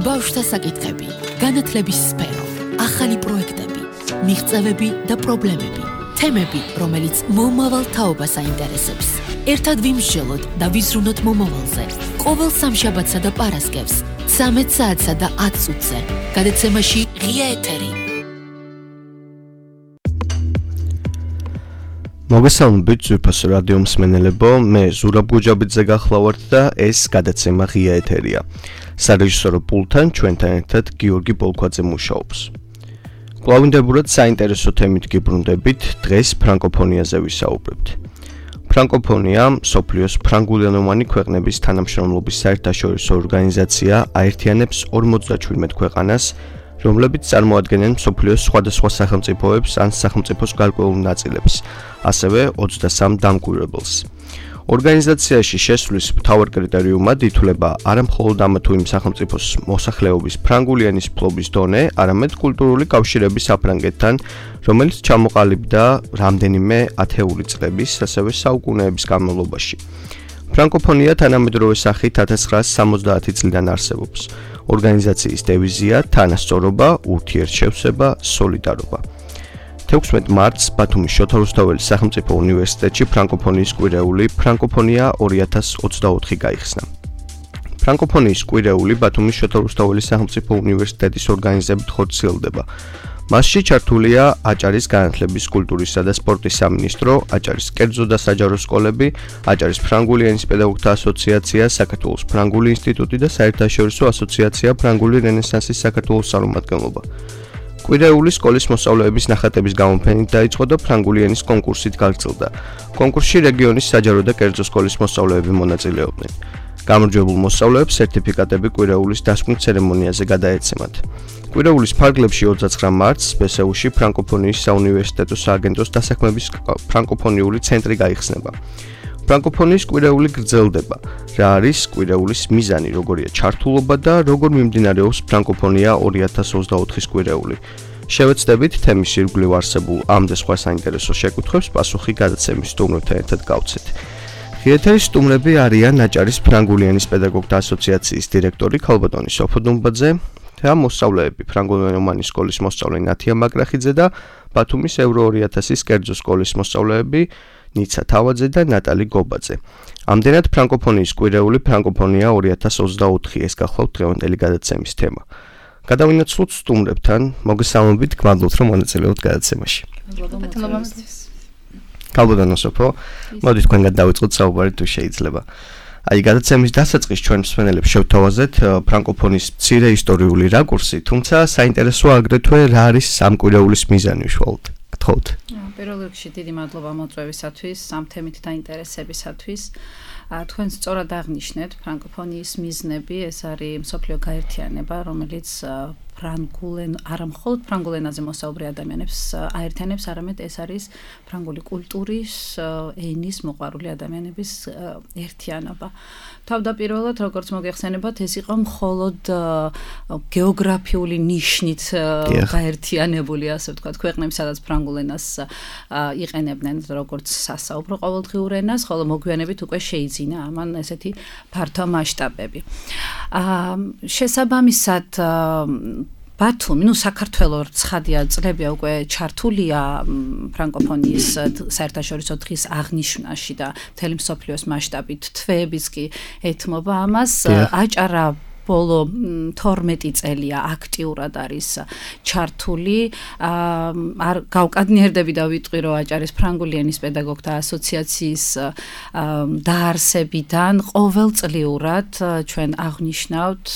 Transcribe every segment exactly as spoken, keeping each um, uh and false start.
ბავშვთა საკითხები, განათლების სფერო, ახალი პროექტები, მიღწევები და პრობლემები, თემები, რომელიც მომავალ თაობას აინტერესებს. ერთად ვიმსჯელოთ და ვიზრუნოთ მომავალზე. ყოველ სამშაბათსა და პარასკევს, ცამეტ საათსა და ათ წუთზე. გადაცემაში ღია ეთერი. მოგესალმებით ძვირფასო რადიო მსმენელებო, მე ზურაბ გუჯაბიძე გახლავართ და ეს გადაცემა ღია ეთერია. სარეჟისორო პულტთან ჩვენთან ერთად გიორგი პოლქვაძე მუშაობს. კვლავინდებურად საინტერესო თემით გიბრუნდებით, დღეს ფრანკოფონიაზე ვისაუბრებთ. ფრანკოფონია მსოფლიოს ფრანგულენოვანი ქვეყნების თანამშრომლობის საერთაშორისო ორგანიზაცია აერთიანებს ორმოცდაჩვიდმეტ ქვეყანას, რომლებიც წარმოადგენენ მსოფლიოს სხვადასხვა სახელმწიფოებს ან სახელმწიფოს გარკვეულ ნაწილებს, ასევე ოცდასამ დამკვირვებელს. ორგანიზაციაში შესვლის მთავარ კრიტერიუმად ითვლება არა მხოლოდ ამა თუ იმ სახელმწიფოს მოსახლეობის ფრანგული ენის ფლობის დონე, არამედ კულტურული კავშირების საფრანგეთთან, რომელიც ჩამოყალიბდა რამდენიმე ათეული წლების, ასევე საუკუნეების განმავლობაში. ფრანკოფონია თანამედროვე სახით ათას ცხრაასი სამოცდაათი წლიდან არსებობს. ორგანიზაციის დევიზია თანასწორობა, ურთიერთშევსება, სოლიდარობა. თექვსმეტ მარტს ბათუმის შოთა რუსთაველის სახელმწიფო უნივერსიტეტში ფრანკოფონიის კვირეული ფრანკოფონია ორი ათას ოცდაოთხი გაიხსნა. ფრანკოფონიის კვირეული ბათუმის შოთა რუსთაველის სახელმწიფო უნივერსიტეტის ორგანიზებით ხორციელდება. მასში ჩართულია აჭარის განათლების, კულტურისა და სპორტის სამინისტრო, აჭარის კერძო და საჯარო სკოლები, აჭარის ფრანგული ენის პედაგოგთა ასოციაცია, საქართველოს ფრანგული ინსტიტუტი და საერთაშორისო ასოციაცია ფრანგული რენესანსის საქართველოს წარმომადგენლობა. კვირეული სკოლის მოსწავლეების ნახატების გამოფენით დაიწყო და ფრანგული ენის კონკურსით გაგრძელდა. კონკურსში რეგიონის საჯარო და კერძო სკოლის მოსწავლეები მონაწილეობდნენ. გამარჯვებულ მოსწავლეებს სერტიფიკატები კვირეულის დასკვნით ცერემონიაზე გადაეცემათ. კვირეულის ფარგლებში ოცდაცხრა მარტს ბესეუში ფრანკოფონიის საუნივერსიტეტო სააგენტოს დასაქმების ფრანკოფონიური ცენტრი გაიხსნება. ფრანკოფონიის კვირეული გრძელდება. რა არის კვირეულის მიზანი, როგორია ჩართულობა და როგორ მიმდინარეობს ფრანკოფონია ორი ათას ოცდაოთხის კვირეული. შევეცდებით თემის ირგვლივ არსებულ ამ და სხვა საინტერესო შეკითხვებს პასუხი გადაცემის სტუმრებთან ერთად გავცეთ. ღიეთერის სტუმრები არიან აჭარის ფრანგული ენის პედაგოგთა ასოციაციის დირექტორი ქალბატონი სოფო დუმბაძე და მოსწავლეები ფრანგულენოვანი სკოლის მოსწავლე ნათია მაგრახიძე და ბათუმის ევრო ორი ათასის კერძო სკოლის მოსწავლეები ნიცა თავაძე და ნატალი გობაძე. ამდენად ფრანკოფონიის კვირეული ფრანკოფონია ორი ათას ოცდაოთხი ეს გახლავთ დღევანდელი გადაცემის თემა. გადავინაცვლოთ სტუმრებთან, მოგესალმებით, გმადლობთ რომ მონაწილეობთ გადაცემაში. ქალბატონო სოფო, მოდი თქვენგან დავიწყოთ საუბარი თუ შეიძლება. აი გადაცემის დასაწყისში ჩვენ მსმენელებს შევთავაზეთ ფრანკოფონიის მცირე ისტორიული რაკურსი, თუმცა საინტერესოა აგრეთვე რა არის ამ კვირეულის მიზანი უშუალოდ. გთხოვთ. პირველ რიგში დიდი მადლობა მოწვევისათვის, ამ თემით დაინტერესებისათვის. თქვენ სწორად აღნიშნეთ ფრანკოფონიის მიზნები, ეს არის მსოფლიო გაერთიანება, რომელიც ფრანგულენ არა მხოლოდ ფრანგულ ენაზე მოსაუბრე ადამიანებს აერთიანებს, არამედ ეს არის ფრანგული კულტურის, ენის მოყვარული ადამიანების ერთიანობა. თავდაპირველად, როგორც მოგეხსენებათ, ეს იყო მხოლოდ გეოგრაფიული ნიშნით გაერთიანებული, ასე ვთქვათ, ქვეყნები, სადაც ფრანგულ ენას იყენებდნენ როგორც სასაუბრო ყოველდღიურ ენას, ხოლო მოგვიანებით უკვე შეიძინა ამან ესეთი ფართო მასშტაბები. შესაბამისად ბათუმი, ну საქართველოს ცხადია წლებია უკვე ჩართულია ფრანკოფონიის საერთაშორისო დღის აღნიშვნაში და მთელი მსოფლიოს მასშტაბით თვეებიც კი ეთმობა ამას. აჭარა ბოლო თორმეტი წელია აქტიურად არის ჩართული. არ გავკადნიერდები და ვიტყვი, რომ აჭარის ფრანგული ენის პედაგოგთა ასოციაციის დაარსებიდან ყოველწლიურად ჩვენ აღნიშნავთ,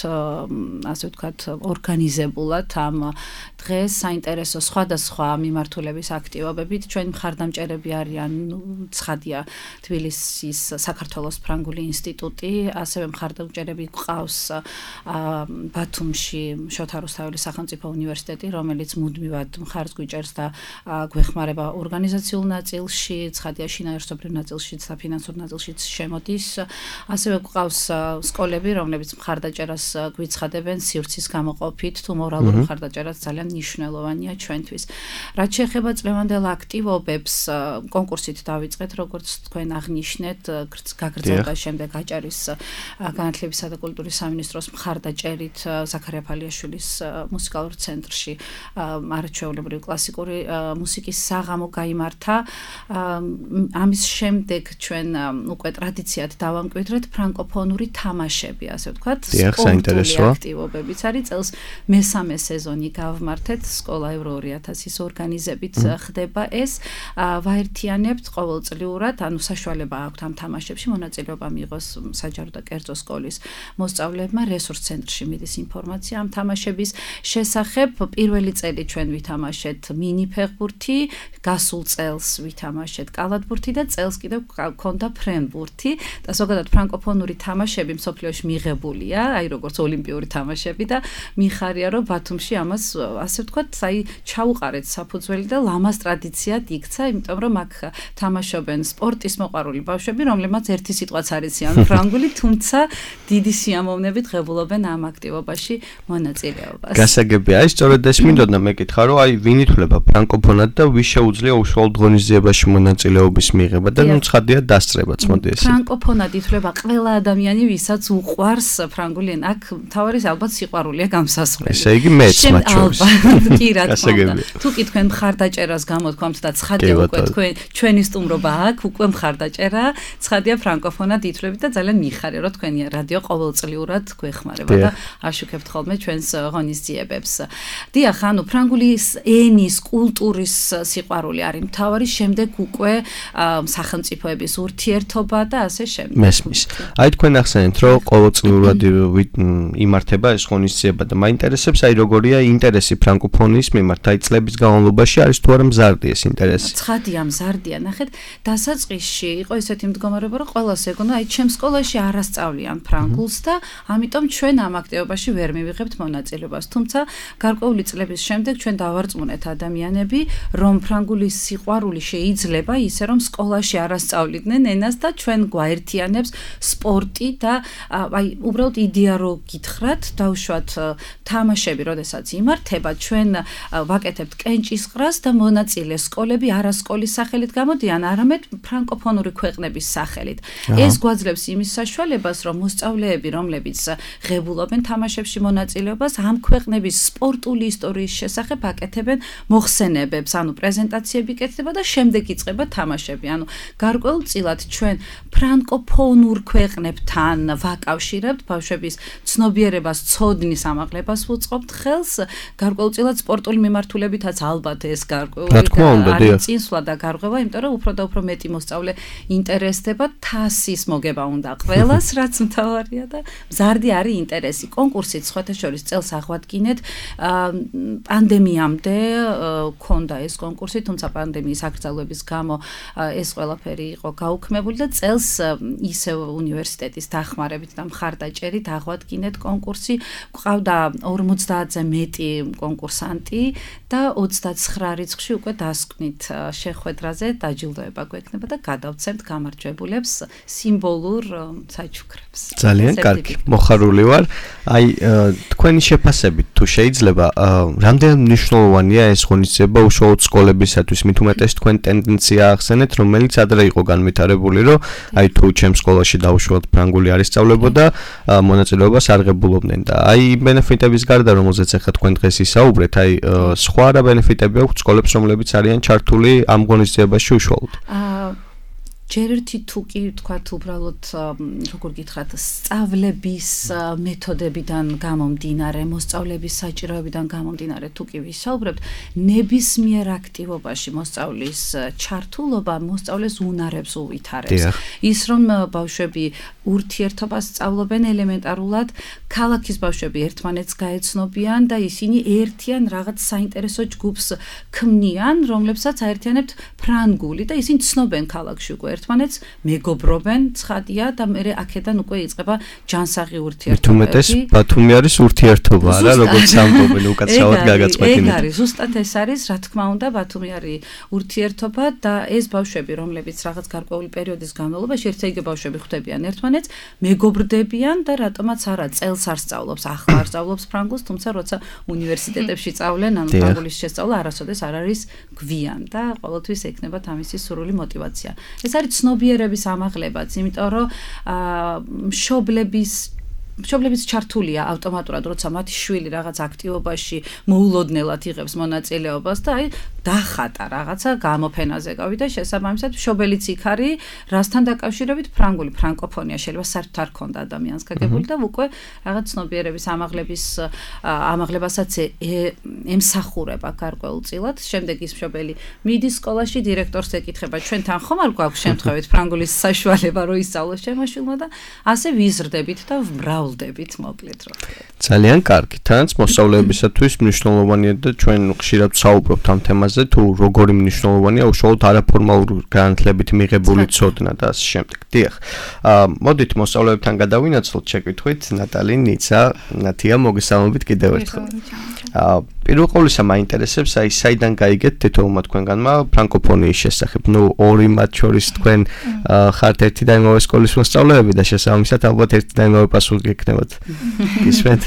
ასე ვთქვათ, ორგანიზებულად ამ დღეს საინტერესო სხვადასხვა მიმართულების აქტივობებით. ჩვენ მხარდამჭერები არიან, ცხადია, თბილისის საქართველოს ფრანგული ინსტიტუტი, ასევე მხარდამჭერები გვყავს ბათუმში შოთა რუსთაველის სახელმწიფო უნივერსიტეტი, რომელიც მუდმივად მხარს გვიჭერს და გვეხმარება ორგანიზაციულ ნაწილში, ცხადია შინაარსობრივ ნაწილშიც და ფინანსურ ნაწილშიც შემოდის. ასევე გვყავს სკოლები, რომლებიც მხარდაჭერას გვიცხადებენ სივრცის გამოყოფით, თუ მორალური მხარდაჭერაც ძალიან მნიშვნელოვანია ჩვენთვის. რაც შეეხება წლევანდელ აქტივობებს, კონკურსით დავიწყეთ, როგორც თქვენ აღნიშნეთ, გაგრძელდა შემდეგ აჭარის განათლებისა და კულტურის სამინისტროს მხარდაჭერით ზაქარია ფალიაშვილის მუსიკალურ ცენტრში არაჩვეულებრივი კლასიკური მუსიკის საღამო გაიმართა. ამის შემდეგ ჩვენ უკვე ტრადიციად დავამკვიდრეთ ფრანკოფონური თამაშები, ასე ვთქვათ, სპორტული აქტივობებიც არის. წელს მესამე სეზონი გავმართეთ, სკოლა ევრო ორი ათასის ორგანიზებით ხდება ეს. ვაერთიანებთ ყოველწლიურად, ანუ საშუალება აქვთ ამ თამაშებში მონაწილეობა მიიღოს საჯარო და კერძო სკოლის მოსწავლეებმა. რესურს ცენტრში მიდის ინფორმაცია ამ თამაშების შესახებ. პირველი წელი ჩვენ ვითამაშეთ მინი ფეხბურთი, გასულ წელს ვითამაშეთ კალათბურთი და წელს კიდევ გქონდა ფრენბურთი და ზოგადად ფრანკოფონური თამაშები მსოფლიოში მიღებულია, აი როგორც ოლიმპიური თამაშები და მიხარია რომ ბათუმში ამას ასე ვთქვათ, აი ჩაუყარეთ საფუძველი და ლამაზ ტრადიციად იქცა, იმიტომ რომ აქ თამაშობენ სპორტის მოყვარული ბავშვები, რომლებმაც ერთი სიტყვაც არ იციან ფრანგული, თუმცა დიდი სიამოვნებით ღებულობენ ამ აქტივობაში მონაწილეობას. გასაგებია, აი სწორედ ეს მინდოდა მეკითხა, რომ აი ვინ ითვლება ფრანკოფონად და ვის შეუძლია უშუალოდ ღონისძიებაში მონაწილეობის მიღება და ნუ ცხადია დასწრებაც, მოდი ესე. ფრანკოფონად ითვლება ყველა ადამიანი, ვისაც უყვარს ფრანგული ენა. აქ თავარის ალბათ სიყვარულია გამსასვლელი. ესე იგი მეც მათ შორის. კი რა თქმა უნდა. თუ კი თქვენ მხარდაჭერას გამოთქვამთ და ცხადია უკვე თქვენ ჩვენი სტუმრობა აქ, უკვე მხარდაჭერა, ცხადია ფრანკოფონად ითვლებით და ძალიან მიხარია რომ თქვენი რადიო ყოველწლიურად გვეხმარება და აშუქებთ ხოლმე ჩვენს ღონისძიებებს. დიახ, ანუ ფრანგულის ენის, კულტურის სიყვარული არის მთავარი, შემდეგ უკვე სახელმწიფოების ურთიერთობა და ასე შემდეგ. მესმის. აი თქვენ ახსენეთ, რომ ყოველწლიურად იმართება ეს ღონისძიება და მაინტერესებს, აი როგორია ინტერესი ფრანკოფონის მიმართ, აი წლების განმავლობაში არის თუ არა მზარდი ეს ინტერესი? ცხადია მზარდია, ნახეთ, დასაწყისში იყო ესეთი მდგომარეობა, რომ ყველას ეგონა, აი ჩემ სკოლაში არ ასწავლიან ფრანგულს და ამიტომ ჩვენ ამ აქტივობაში ვერ მივიღებთ მონაწილეობას. თუმცა გარკვეული წლების შემდეგ ჩვენ დავარწმუნეთ ადამიანები, რომ ფრანგულის სიყვარული შეიძლება ისე რომ სკოლაში არ ასწავლიდნენ ენას და ჩვენ გვაერთიანებს სპორტი და აი უბრალოდ იდეა რო გითხრათ, დავუშვათ თამაშები, როდესაც იმართება, ჩვენ ვაკეთებთ კენჭისყრას და მონაწილე სკოლები არა სკოლის სახელით გამოდიან, არამედ ფრანკოფონური ქვეყნების სახელით. ეს გვაძლევს იმის საშუალებას, რომ მოსწავლეები, რომლებიც ღებულობენ თამაშებში მონაწილეობას, ამ ქვეყნების სპორტული ისტორიის შესახებ აკეთებენ მოხსენებებს, ანუ პრეზენტაციები კეთდება და შემდეგ იწყება თამაშები. ანუ გარკვეულწილად ჩვენ ფრანკოფონურ ქვეყნებთან ვაკავშირებთ ბავშვების ცნობიერებას, ცოდნის ამაღლებას ვუწყობთ ხელს, გარკვეულწილად სპორტული მიმართულებითაც ალბათ ეს გარკვეული წინსვლა და გარღვევა, იმიტომ რომ უფრო და უფრო მეტი მოსწავლე ინტერესდება, თასის მოგება უნდა ყველას, რაც მთავარია და მზარდი არის ინტერესი. კონკურსით სხვათა შორის წელს აღვადგინეთ, პანდემიამდე ქონდა ეს კონკურსი, თუმცა პანდემიის აკრძალვების გამო ეს ყველაფერი იყო გაუქმებული და წელს ისევ უნივერსიტეტის დახმარებით და მხარდაჭერით აღვადგინეთ კონკურსი. გვყავდა ორმოცდაათზე მეტი კონკურსანტი და ოცდაცხრა რიცხვში უკვე დასკვნით შეხვედრაზე დაჯილდოება გვექნება და გადავცემთ გამარჯვებულებს სიმბოლურ საჩუქრებს. ძალიან კარგი, მოხარული ვარ. აი თქვენი შეფასებით თუ შეიძლება, რამდენად მნიშვნელოვანია ეს ღონისძიება უშუალოდ სკოლებისათვის, მით უმეტეს თქვენ ტენდენცია ახსენეთ, რომელიც ადრე იყო განვითარებული, რომ აი თუ ჩემ სკოლაში დაუშვათ ფრანგული არ ისწავლებოდა, მონაწილეობას არ ღებულობდნენ და აი ბენეფიტების გარდა, რომელზეც ახლა თქვენ დღეს ისაუბრეთ, აი სხვა რა ბენეფიტები აქვს სკოლებს, რომლებიც არიან ჩართული ამ ღონისძიებაში უშუალოდ? ჯერ ერთი თუ კი ვთქვათ უბრალოდ როგორ გითხრათ, სწავლების მეთოდებიდან გამომდინარე, მოსწავლების საჭიროებიდან გამომდინარე თუ კი ვისაუბრებთ, ნებისმიერ აქტივობაში მოსწავლის ჩართულობა მოსწავლეს უნარებს უვითარებს. ის რომ ბავშვები ურთიერთობას სწავლობენ ელემენტარულად, ქალაქის ბავშვები ერთმანეთს გაეცნობიან და ისინი ერთიან რაღაც საინტერესო ჯგუფს ქმნიან, რომლებსაც აერთიანებთ ფრანგული და ისინი ცნობენ ქალაქში უკვე ერთმანეთს, მეგობრობენ, ცხადია და მე აქედან უკვე იწყება ჯანსაღი ურთიერთობები. თუმეტეს ბათუმი არის ურთიერთობა, რა, როგორც ამბობენ უკაცრავად გაგაწყვეტინეთ. ეგ არის, ზუსტად ეს არის, რა თქმა უნდა, ბათუმი არის ურთიერთობა და ეს ბავშვები, რომლებიც რაღაც გარკვეული პერიოდის განმავლობაში ერთ-ერთი ბავშვები ხვდებიან ერთმანეთს, მეგობრდებიან და რატომაც არა, წელს არ სწავლობს, ახლა არ სწავლობს ფრანგულს, თუმცა როცა უნივერსიტეტებში სწავლენ, ანუ ფრანგულის შესწავლა არასოდეს არ არის გვიან და ყოველთვის ექნებათ ამისი სრული мотиваცია. ეს არის ცნობიერების ამაღლებაც, იმიტომ რომ მშობლების მშობლებიც ჩართულია ავტომატურად, როცა მათი შვილი რაღაც აქტივობაში მოულოდნელად იღებს მონაწილეობას და აი დახატა რაღაცა გამოფენაზე გავიდა, შესაბამისად მშობელიც იქ არის, რასთან დაკავშირებით ფრანგული ფრანკოფონია შეიძლება საერთოდ არ ქონდა ადამიანს გაგებული და უკვე რაღაც ცნობიერების ამაღლების ამაღლებასაც ემსახურება გარკვეულწილად. შემდეგ ის მშობელი მიდის სკოლაში, დირექტორს ეკითხება, ჩვენთან ხომ არ გვაქვს შემთხვევით ფრანგულის საშუალება, რომ ისწავლოს ჩემო შვილმა და ასე ვიზრდებით და ვრავლდებით მოკლედ რა. ძალიან კარგი. თანაც მოსწავლეებისათვის მნიშვნელოვანია და ჩვენ ხშირად ვსაუბრობთ ამ თემაზე, თუ როგორი მნიშვნელოვანია უშუალოდ არაფორმალურ განათლებით მიღებული ცოდნა და ასე შემდეგ. დიახ. აა მოდით მოსწავლეებთან გადავინაცვლოთ შეკითხვით. ნატალი, ნიცა, ნათია, მოგესალმებით კიდევ ერთხელ. აა პირველ ყოვლისა მაინტერესებს აი საიდან გაიგეთ თითოეულმა თქვენგანმა ფრანკოფონიის შესახებ. ნუ ორი მათ შორის თქვენ ხართ ერთი და იმავე სკოლის მოსწავლეები და შესაბამისად ალბათ ერთი და იმავე პასუხი გექნებათ. გისმენთ?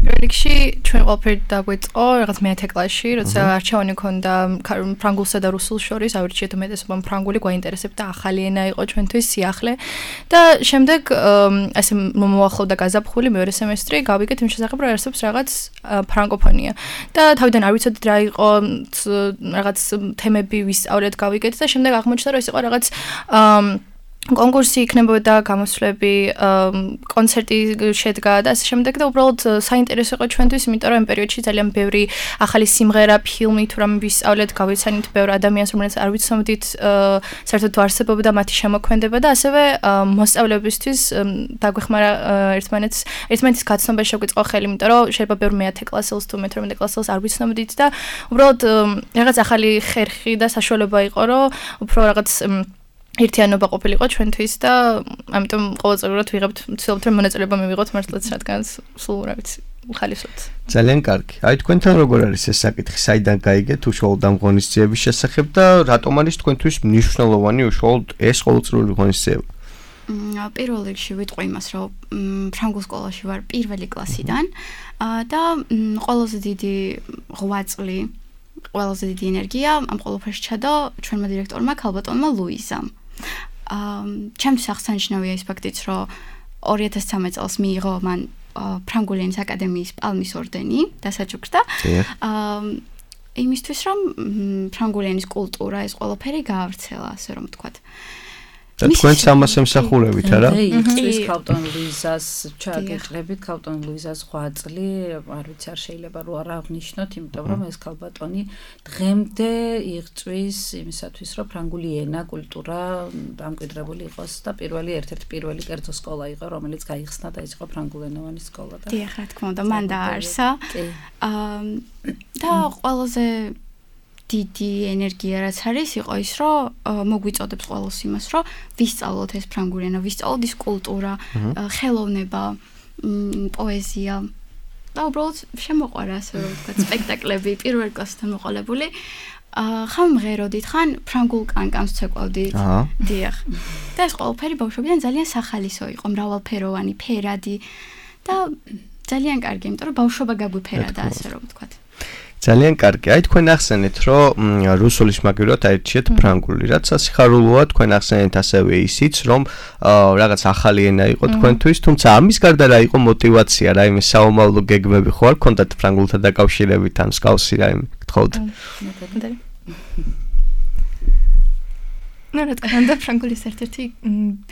რიგში ჩვენ ყველაფერი დაგვეწყო რაღაც მეათე კლასში, როცა არჩევანი ქონდა ფრანგულსა და რუსულ შორის, ავირჩიეთ უმეტესობამ ფრანგული, გვაინტერესებდა, ახალი ენა იყო ჩვენთვის სიახლე და შემდეგ ასე მომაახლოვდა გაზაფხული მეორე სემესტრი, გავიგეთ იმ შესახებ, რომ არსებობს რაღაც ფრანკოფონია და თავიდან არ ვიცოდით რა იყო, რაღაც თემები ვისწავლეთ, გავიგეთ და შემდეგ აღმოჩნდა, რომ ეს იყო რაღაც კონკურსი იქნებოდა, გამოსვლები, კონცერტი შედგა და ასე შემდეგ და უბრალოდ საინტერესო იყო ჩვენთვის, იმიტომ რომ ამ პერიოდში ძალიან ბევრი ახალი სიმღერა, ფილმი თუ რამე ვისწავლეთ, გავიცანით ბევრ ადამიანს, რომელსაც არ ვიცნობდით, საერთოდ არსებობდა მათი შემოქმედება და ასევე მოსწავლეებისთვის დაგვეხმარა ერთმანეთს, ერთმანეთის გაცნობა შეგვიწყო ხელი, იმიტომ რომ შეიძლება ბევრ მეათე კლასელს თუ მეთორმეტე კლასელს არ ვიცნობდით და უბრალოდ რაღაც ახალი ხერხი და საშუალება იყო, რომ უფრო რაღაც ერთიანობა ყოფილიყო ჩვენთვის და ამიტომ ყოველწლიურად ვიღებთ ვცდილობთ რომ მონაწილეობა მივიღოთ მართლაც რადგან სულ რა ვიცი ხალისოთ. ძალიან კარგი. აი თქვენთან როგორ არის ეს საკითხი, საიდან გაიგეთ უშუალოდ ამ ღონისძიების შესახებ და რატომ არის თქვენთვის მნიშვნელოვანი უშუალოდ ეს ყოველწლიური ღონისძიება? პირველ რიგში ვიტყვი იმას, რომ ფრანგულ სკოლაში ვარ პირველი კლასიდან და ყველაზე დიდი ღვაწლი, ყველაზე დიდი ენერგია ამ ყველაფერში ჩადო ჩვენმა დირექტორმა ქალბატონმა ლუიზამ. ჩემთვის აღსანიშნავია ის ფაქტიც, რომ ორი ათას ცხრამეტ წელს მიიღო მან ფრანგული ენის აკადემიის პალმის ორდენი დასაჩუქრდა. იმისთვის, რომ ფრანგული ენის კულტურა, ეს ყველაფერი გაავრცელა, ასე რომ ვთქვათ. და თქვენც ამას ემსახურებით, არა? იწვის ქალბატონ ლუიზას ჩაგეჭრებით, ქალბატონ ლუიზას ღვაწლი, არ ვიცი, არ შეიძლება რო არ აღნიშნოთ, იმიტომ რომ ეს ქალბატონი დღემდე იღწვის იმისათვის, რომ ფრანგული ენა, კულტურა დამკვიდრებული იყოს და პირველი ერთ-ერთი პირველი კერძო სკოლა იყო, რომელიც გაიხსნა და ეს იყო ფრანგულენოვანი სკოლა და დიახ, რა თქმა უნდა, მან დააარსა. და ყველაზე დიდი ენერგია რაც არის იყო ის, რომ მოგვიწოდებს ყველას იმას, რომ ვისწავლოთ ეს ფრანგული ენა, ვისწავლოთ ის კულტურა, ხელოვნება, პოეზია. და უბრალოდ შემოყვარა ასე რომ ვთქვათ, სპექტაკლები პირველ კლასთან მოყოლებული. ხან მღეროდით, ხან ფრანგულ კანკანს ვცეკვავდით. დიახ. და ეს ყველაფერი ბავშვობიდან ძალიან სახალისო იყო, მრავალფეროვანი, ფერადი და ძალიან კარგი, იმიტომ რომ ბავშვობა გაგვიფერადა ასე რომ ვთქვათ. ძალიან კარგი. აი თქვენ ახსენეთ, რომ რუსულის მაგივრად აირჩიეთ ფრანგული, რაც სასიხარულოა, თქვენ ახსენეთ ასევე ისიც, რომ რაღაც ახალი ენა იყო თქვენთვის, თუმცა ამის გარდა რა იყო мотиваცია, რა იმის საომავლო გეგმები ხო არ ქონდათ ფრანგულთან დაკავშირებით ან მსგავსი რა იმი გთხოვთ? ნუ რა თქმა უნდა, ფრანგულის ერთ-ერთი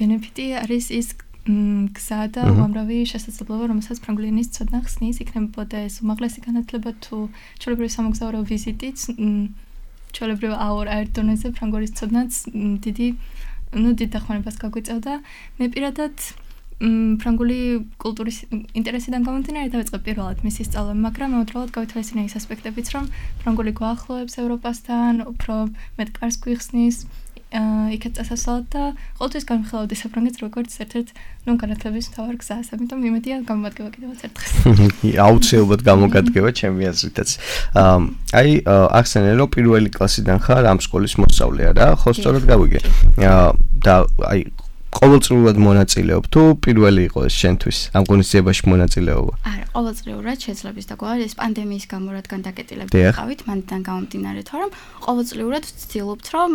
ბენეფიტი არის ის გზა და უამრავი შესაძლებლობა, რომელსაც ფრანგული ენის ცოდნა ხსნის, იქნებოდა ეს უმაღლესი განათლება თუ ჩვეულებრივი სამოგზაურო ვიზიტიც, ჩვეულებრივ აორ აერ დონეზე ფრანგულის ცოდნაც დიდი, ნუ დიდ დახმარებას გაგვიწევდა. მე პირადად ფრანგული კულტურის ინტერესიდან გამომდინარე დავიწყე პირველად მისი სწავლა, მაგრამ მოუწევთ გავითვალისწინე ის ასპექტებიც, რომ ფრანგული გვაახლოებს ევროპასთან, უფრო მეტ კარს გვიხსნის. იქეთ წასასვლელად და ყოველთვის განვიხილავდი საფრანგეთს როგორც ერთ-ერთ ნუ განათლების მთავარ გზას, ამიტომ იმედია გამომადგება კიდევაც ერთხელ. აუცილებლად გამოგადგება ჩემი აზრითაც. აი ახსენე რომ პირველი კლასიდან ხარ ამ სკოლის მოსწავლე რა, ხო სწორად გავიგე. და აი ყოველწლიურად მონაწილეობ თუ პირველი იყო ეს შენთვის ამ ღონისძიებაში მონაწილეობა? არა, ყოველწლიურად შეძლებს და გვარი ეს პანდემიის გამო რადგან დაკეტილებით ვიყავით, მანდიდან გამომდინარე, თორემ ყოველწლიურად ვცდილობთ, რომ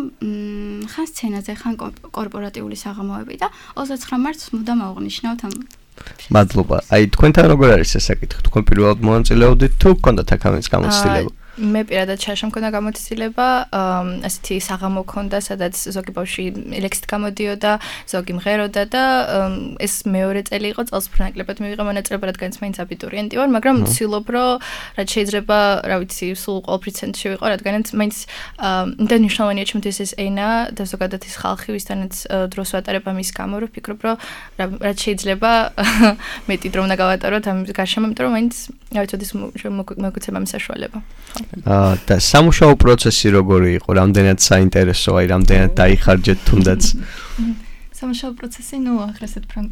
ხან სცენაზე, ხან კორპორატიული საღამოები და ოცდაცხრა მარტს მუდამ ავღნიშნავთ ამ. მადლობა. აი თქვენთან როგორ არის ეს საკითხი? თქვენ პირველად მონაწილეობდით თუ გქონდათ აქამდე გამოცდილება? მე პირადად შაშამ მქონდა გამოცდილება, ასეთი საღამო მქონდა, სადაც ზოგი ბავშვი ლექსით გამოდიოდა, ზოგი მღეროდა და ეს მეორე წელი იყო წელს უფრო ნაკლებად მივიღე მონაწილეობა, რადგანაც მაინც აბიტურიენტი ვარ, მაგრამ ვცდილობ, რომ რაც შეიძლება, რა ვიცი, სულ ყოველთვის ცენტრში ვიყო, რადგანაც მაინც იმდენ მნიშვნელოვანია ჩემთვის ეს ენა და ზოგადად ეს ხალხი, ვისთანაც დროს ვატარებ ამის გამო, რომ ვფიქრობ, რომ რაც შეიძლება მეტი დრო უნდა გავატაროთ ამ გარშემო, იმიტომ რომ მაინც რა ვიცი, ეს მოგუცემ ამის საშუალება. აა და სამუშაო პროცესი როგორი იყო? რამდენად საინტერესო, აი რამდენად დაიხარჯეთ თუნდაც? სამუშაო პროცესი, ну, აღრესეთ ფრანგ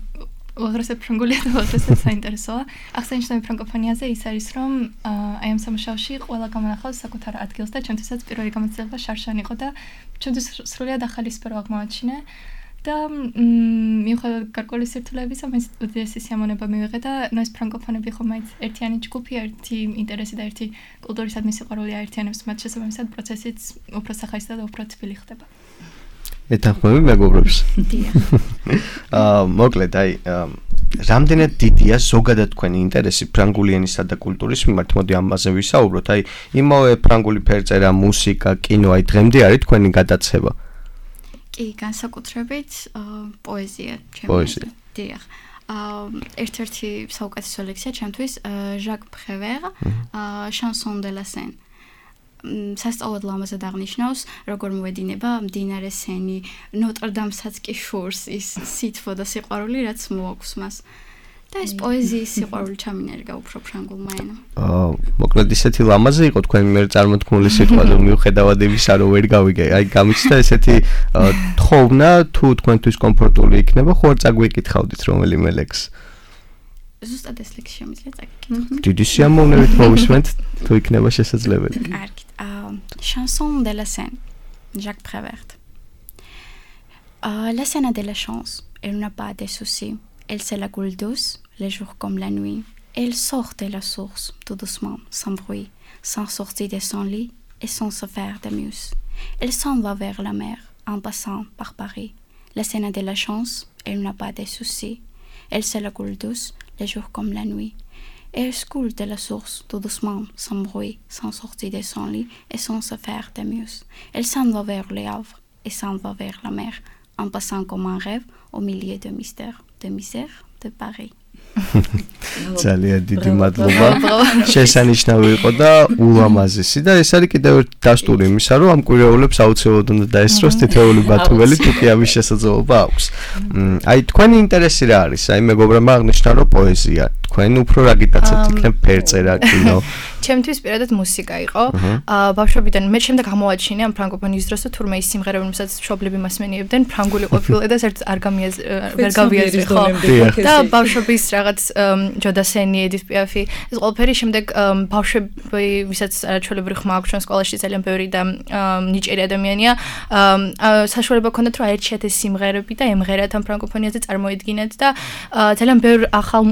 აღრესეთ ფრანგულია და აღრესეთ საინტერესოა. აღსანიშნავი ფრანგოფონიაზე ის არის, რომ აი ამ სამუშაოში ყველა გამონახავს საკუთარ ადგილს და ჩემთვისაც პირველი გამოცდილება შარშან იყო და ჩემთვის სრულიად ახალი სფერო აღმოაჩინე. და მიუხედავად გარკვეული სირთულეებისა, მაინც უდიდესი სიამონება მივიღე და ნუ ეს ფრანგოფონები ხომ მაინც ერთიანი ჯგუფი, ერთი ინტერესი და ერთი კულტურისადმი სიყვარული აერთიანებს მათ შესაბამისად პროცესიც უფრო სახაისდა და უფრო თბილი ხდება. ეთანხმები მეგობრებს? დიახ. აა მოკლედ აი რამდენად დიდია ზოგადად თქვენი ინტერესი ფრანგული ენისა და კულტურის მიმართ? მოდი ამაზე ვისაუბროთ. აი იმავე ფრანგული ფერწერა, მუსიკა, კინო, აი დღემდე არის თქვენი გადაცემა? კი, განსაკუთრებით პოეზია ჩემთვის. პოეზია. დიახ. ერთ-ერთი საუკეთესო ლექსია ჩემთვის ჟაკ პრევერ, chanson de la Seine. სასწაულად ლამაზად აღნიშნავს, როგორ მოედინება მდინარე სენი, ნოტრდამსაც კი შორს ის სითბო და სიყვარული, რაც მოაქვს მას. და ეს პოეზიის სიყვარული ჩამინერგა უფრო ფრანგულმა ენამ. აა, მოკლედ ისეთი ლამაზი იყო თქვენ მიერ წარმოთქმული სიტყვა, რომ მიუხედავად იმისა, რომ ვერ გავიგე, აი გამიჩნდა ესეთი თხოვნა, თუ თქვენთვის კომფორტული იქნება, ხო არ წაგვიკითხავდით რომელიმე ლექს? ზუსტად ეს ლექსი შემიძლია წაგიკითხოთ. დიდი სიამოვნებით მოვისმენთ, თუ იქნება შესაძლებელი. კარგით. აა, chanson de la Seine, Jacques Prévert. Ah, la Seine a de la chance, elle n'a pas de soucis. Elle se la coule douce, les jours comme la nuit. Elle sort de la source, tout doucement, sans bruit, sans sortir de son lit et sans se faire de muse. Elle s'en va vers la mer, en passant par Paris. La Seine a de la chance, elle n'a pas de soucis. Elle se la coule douce, les jours comme la nuit. Elle coule de la source, tout doucement, sans bruit, sans sortir de son lit et sans se faire de muse. Elle s'en va vers les Havres et s'en va vers la mer, en passant comme un rêve au milieu de mystères. De misère de Paris. ძალიან დიდი მადლობა. შესანიშნავი იყო და ულამაზესი და ეს არის კიდევ ერთი დასტური იმისა, რომ ამ კვირეულებს აუცილებლად უნდა დაესწროს თითოეული ბათუმელი, თუ კი ამის შესაძლებლობა აქვს. აი თქვენი ინტერესი რა არის? აი მეგობრებმა აღნიშნა, რომ პოეზია. თქვენ უფრო რა გიტაცებთ? იქნებ ფერწერა, კინო? ჩემთვის პირადად მუსიკა იყო. აა ბავშვობიდან მე შემდეგ გამოვაჩინე ამ ფრანგოფონიის დროს, თურმე ის სიმღერა, რომელსაც მშობლები მასმენიებდნენ, ფრანგული ყოფილა და საერთოდ არ გამიაზ ვერ გავიაზრი ხო. და ბავშვობის რაღაც ჯოდასენი, ედით პიაფი, ეს ყველაფერი შემდეგ ბავშვები, ვისაც არაჩვეულებრივი ხმა აქვს ჩვენ სკოლაში ძალიან ბევრი და ნიჭიერი ადამიანია, საშუალება ჰქონდათ რომ აერჩიათ ეს სიმღერები და ემღერათ ამ ფრანგოფონიაზე წარმოედგინათ და ძალიან ბევრი ახალ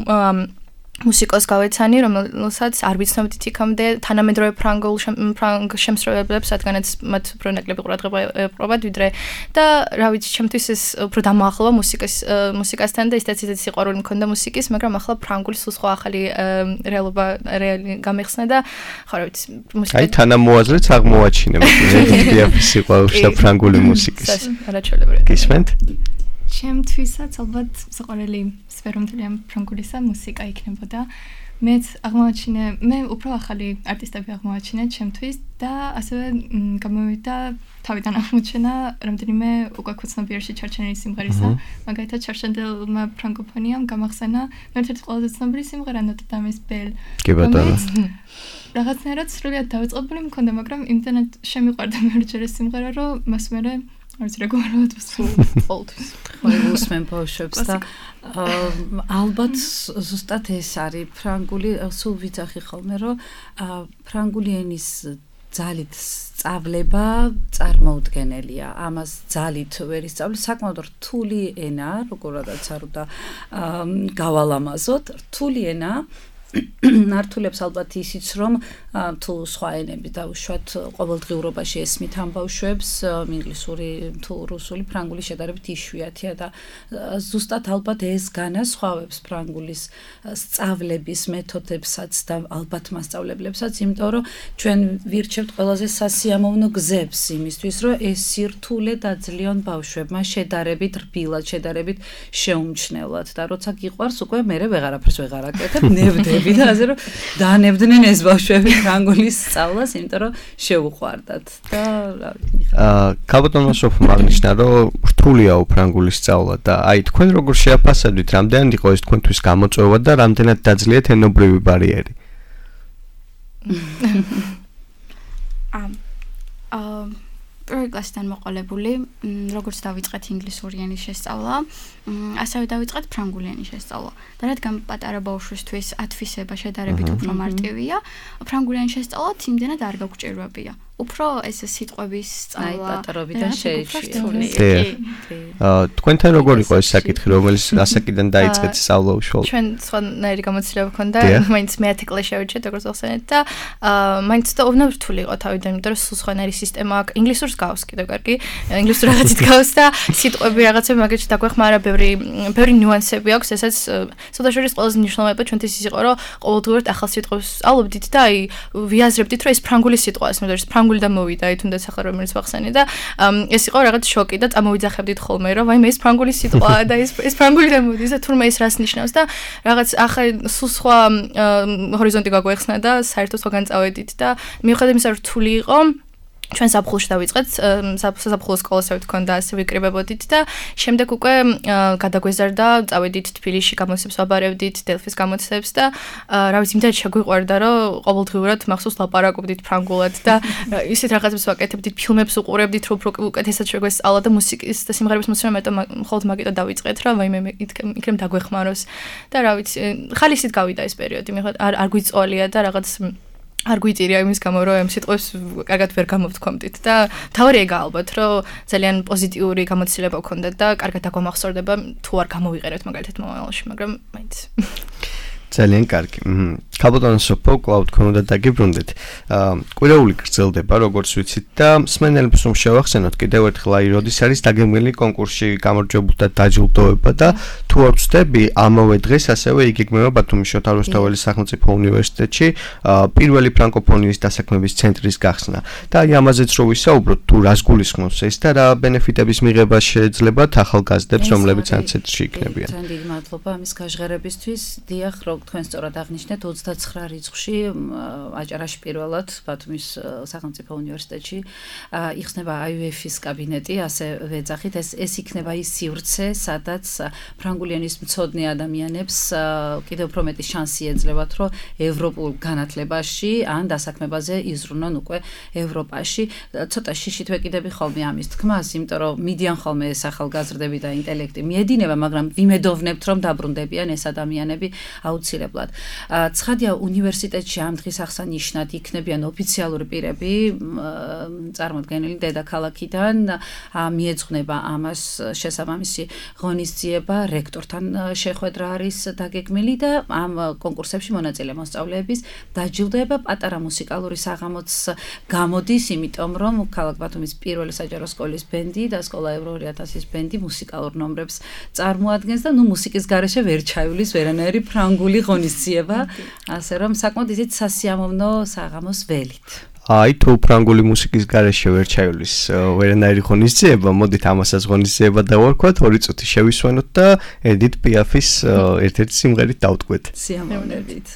მუსიკოს გავეცანი, რომელსაც არ ვიცნობდით იქამდე თანამედროვე ფრანგულ ფრანგ შემსრულებლებს, რადგანაც მათ უფრო ნაკლები ყურადღება ეპყრობათ, ვიდრე და რა ვიცი, ჩემთვის ეს უფრო დამოახლოვა მუსიკის მუსიკასთან და ისეთ ისეთ სიყვარული მქონდა მუსიკის, მაგრამ ახლა ფრანგული სულ სხვა ახალი რეალობა რეალი გამიხსნა და ხო რა ვიცი, მუსიკა აი თანამოაზრეც აღმოაჩინე მედიტაციის სიყვარულს და ფრანგული მუსიკის. არაჩვეულებრივი. გისმენთ? ჩემთვისაც ალბათ საყვარელი სფერო მთელი ამ ფრანგულისა მუსიკა იქნებოდა. მეც აღმოაჩინე, მე უფრო ახალი არტისტები აღმოაჩინე ჩემთვის და ასევე გამოვიდა თავიდან აღმოჩენა რამდენიმე უკვე ცნობიერში ჩარჩენილი სიმღერისა. მაგალითად ჩარჩენილმა ფრანგოფონიამ გამახსენა ერთ-ერთი ყველაზე ცნობილი სიმღერა ნოტრდამის ბელ. კი ბატონო. რაღაცნაირად სრულიად დავიწყებული მქონდა, მაგრამ იმდენად შემიყვარდა მეორჯერ ეს სიმღერა, რომ მას მერე არის რეგულარულად ვსულ ყოველთვის. ყოველუსმენ ბავშვებს და ალბათ ზუსტად ეს არის ფრანგული, სულ ვიცახი ხოლმე, რომ ფრანგული ენის ძალით სწავლება წარმოუდგენელია. ამას ძალით ვერ ისწავლი, საკმაოდ რთული ენა, როგორადაც არ უნდა გავალამაზოთ, რთული ენა. ნართულებს ალბათ ისიც რომ თუ სხვა ენები დავუშვათ ყოველდღიურობაში ესმით ამ ბავშვებს ინგლისური თუ რუსული ფრანგული შედარებით იშვიათია და ზუსტად ალბათ ეს განასხვავებს ფრანგულის სწავლების მეთოდებსაც და ალბათ მასწავლებლებსაც, იმიტომ რომ ჩვენ ვირჩევთ ყველაზე სასიამოვნო გზებს იმისთვის რომ ეს სირთულე დაძლიონ ბავშვებმა შედარებით რბილად, შედარებით შეუმჩნევლად და როცა გიყვარს უკვე მერე ვეღარაფერს ვეღარ აკეთებ, ნებდები და ასე რომ დაანებდნენ ეს ბავშვები ფრანგულის სწავლას, იმიტომ რომ შეუყვარდათ და რა ვიცი. აა კაბოტონმა სოფმა აღნიშნა, რომ რთულია ფრანგულის სწავლა და აი თქვენ როგორ შეაფასებთ, რამდენად იყო ეს თქვენთვის გამოწვევა და რამდენად დაძლიათ ენობრივი ბარიერი? ამ აა პირველ კლასიდან მოყოლებული, როგორც დავიწყეთ ინგლისური ენის შესწავლა, ასევე დავიწყეთ ფრანგული ენის შესწავლა. და რადგან პატარა ბავშვისთვის ათვისება შედარებით უფრო მარტივია, ფრანგული ენის შესწავლა იმდენად არ გაგვჭირვებია. უფრო ეს სიტყვების სწავლა პატარობიდან შეიჭრა. აა თქვენთან როგორ იყო ეს საკითხი, რომელიც ასაკიდან დაიწყეთ სწავლა უშუალოდ? ჩვენ სხვანაირი გამოცდილება ჰქონდა, მაინც მეათე კლასში შევიჭრეთ, როგორც ახსენეთ და მაინც და უბნებ რთული იყო თავიდან, იმიტომ რომ სულ სხვანაირი სისტემა აქვს. ინგლისურს გავს კიდევ კარგი, ინგლისურ რაღაცით გავს და სიტყვები რაღაცები მაგაში დაგვეხმარა, ბევრი ბევრი ნიუანსები აქვს, ესაც საერთაშორის ყველაზე მნიშვნელოვანი ჩვენთვის ის იყო, რომ ყოველდღიურად ახალ სიტყვებს სწავლობდით და აი ვიაზრებდით, რომ ეს ფრანგული სიტყვაა, ეს ფრანგული და მოვიდა, აი თუნდაც ახლა რომელიც ვახსენე და ეს იყო რაღაც შოკი და წამოვიძახებდით ხოლმე, რომ აი მე ეს ფრანგული სიტყვაა და ეს ეს ფრანგული და მოდის და თურმე ეს რას ნიშნავს და რაღაც ახლა სულ სხვა ჰორიზონტი გაგვეხსნა და საერთოდ სხვაგან წავედით და მიუხედავად იმისა, რომ რთული იყო ჩვენ საფხულში დავიწყეთ, საფხულის სკოლასაც ჰქონდა, ასე ვიკრიბებოდით და შემდეგ უკვე გადაგვეზარდა, წავედით თბილისში გამოცემებს ვაბარებდით, დელფის გამოცემებს და რა ვიცი, იმდენად შეგვიყვარდა, რომ ყოველდღიურად მახსოვს ლაპარაკობდით ფრანგულად და ისეთ რაღაცებს ვაკეთებდით, ფილმებს უყურებდით, რომ უფრო უკეთესად შეგვესწავლა და მუსიკის და სიმღერების მოსმენა მეტო მხოლოდ მაგიტო დავიწყეთ, რა ვაიმე იქნებ დაგვეხმაროს და რა ვიცი, ხალისით გავიდა ეს პერიოდი, მიხოთ არ არ გვიწოლია და რაღაც არ გვიწირია იმის გამო, რომ ამ სიტყვებს კარგად ვერ გამოვთქვამდით და თავარი ეგა ალბათ, რომ ძალიან პოზიტიური გამოცდილება გქონდა და კარგად აგვამახსოვრდება თუ არ გამოვიყენებთ მაგალითად მომავალში, მაგრამ მაინც ძალიან კარგი. კაბოტონ სოფო კლაუდ კონდა დაგიბრუნდეთ. კვირეული გრძელდება, როგორც ვიცით და მსმენელებს რომ შევახსენოთ კიდევ ერთხელ აი როდის არის დაგეგმილი კონკურსში გამარჯვებულთა დაჯილდოება და თუ არ ვწდები, ამავე დღეს ასევე იგეგმება ბათუმის შოთა რუსთაველის სახელმწიფო უნივერსიტეტში პირველი ფრანკოფონიის დასაქმების ცენტრის გახსნა. და აი ამაზეც რო ვისაუბროთ, თუ რას გულისხმობს ეს და რა ბენეფიტების მიღება შეეძლებათ ახალგაზრდებს, რომლებიც ამ ცენტრში იქნებიან. ძალიან დიდი მადლობა ამის გაჟღერებისთვის. დიახ, რო თქვენ სწორად აღნიშნეთ, ოცდაცხრა რიცხვში აჭარაში პირველად ბათუმის სახელმწიფო უნივერსიტეტში იხსნება აი იუ ეფ-ის კაბინეტი, ასე ვეძახით, ეს ეს იქნება ის სივრცე, სადაც ფრანგული ენის მცოდნე ადამიანებს კიდევ უფრო მეტი შანსი ეძლებათ, რომ ევროპულ განათლებაში ან დასაქმებაზე იზრუნონ უკვე ევროპაში. ცოტა შიშით ვეკიდები ხოლმე ამის თქმას, იმიტომ რომ მიდიან ხოლმე ეს ახალგაზრდები და ინტელექტი მიედინება, მაგრამ ვიმედოვნებთ, რომ დაბრუნდებიან ეს ადამიანები აუცილებლად. ცხადია, უნივერსიტეტში ამ დღის აღსანიშნად იქნებიან ოფიციალური პირები, წარმოდგენილი დედაქალაქიდან, მიეძღვნება ამას შესაბამისი ღონისძიება, რექტორთან შეხვედრა არის დაგეგმილი და ამ კონკურსებში მონაწილე მოსწავლეების დაჯილდოება პატარა მუსიკალური საღამოც გამოდის, იმიტომ რომ ქალაქ ბათუმის პირველი საჯარო სკოლის ბენდი და სკოლა ევრო ორი ათასის ბენდი მუსიკალურ ნომრებს წარმოადგენს და ნუ მუსიკის გარეშე ვერ ჩაივლის ვერანაირი ფრანგული ღონისძიება, ასე რომ საკმაოდ ისეთ სასიამოვნო საღამოს ველით. აი თუ ფრანგული მუსიკის გარეშე ვერ ჩაივლის ვერანაირი ღონისძიება, მოდით ამასაც ღონისძიება დავარქვათ, ორი წუთი შევისვენოთ და ედით პიაფის ერთ-ერთი სიმღერით დავტყვეთ. სიამოვნებით.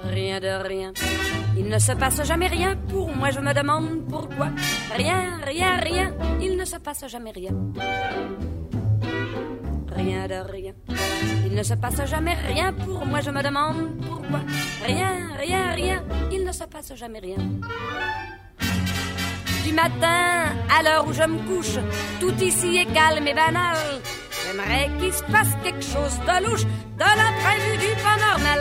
Rien de rien, il ne se passe jamais rien pour moi, je me demande pourquoi. Rien, rien, rien, il ne se passe jamais rien. Rien de rien, il ne se passe jamais rien pour moi, je me demande pourquoi. Rien, rien, rien, il ne se passe jamais rien. Du matin à l'heure où je me couche, tout ici est calme et banal. J'aimerais qu'il se passe quelque chose de louche, de l'imprévu, du pas normal.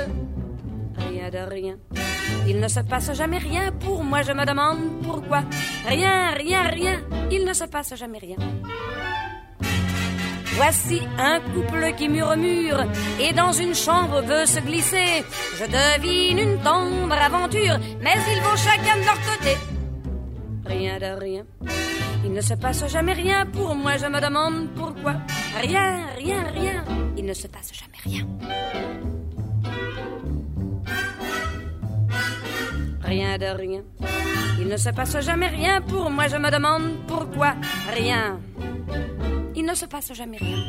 Rien de rien, il ne se passe jamais rien. Pour moi, je me demande pourquoi. Rien, rien, rien, il ne se passe jamais rien. Voici un couple qui murmure et dans une chambre veut se glisser. Je devine une tendre aventure, mais ils vont chacun de leur côté. Rien de rien, il ne se passe jamais rien. Pour moi, je me demande pourquoi. Rien, rien, rien, il ne se passe jamais rien. Rien de rien, il ne se passe jamais rien. Pour moi, je me demande pourquoi. Rien, il ne se passe jamais rien.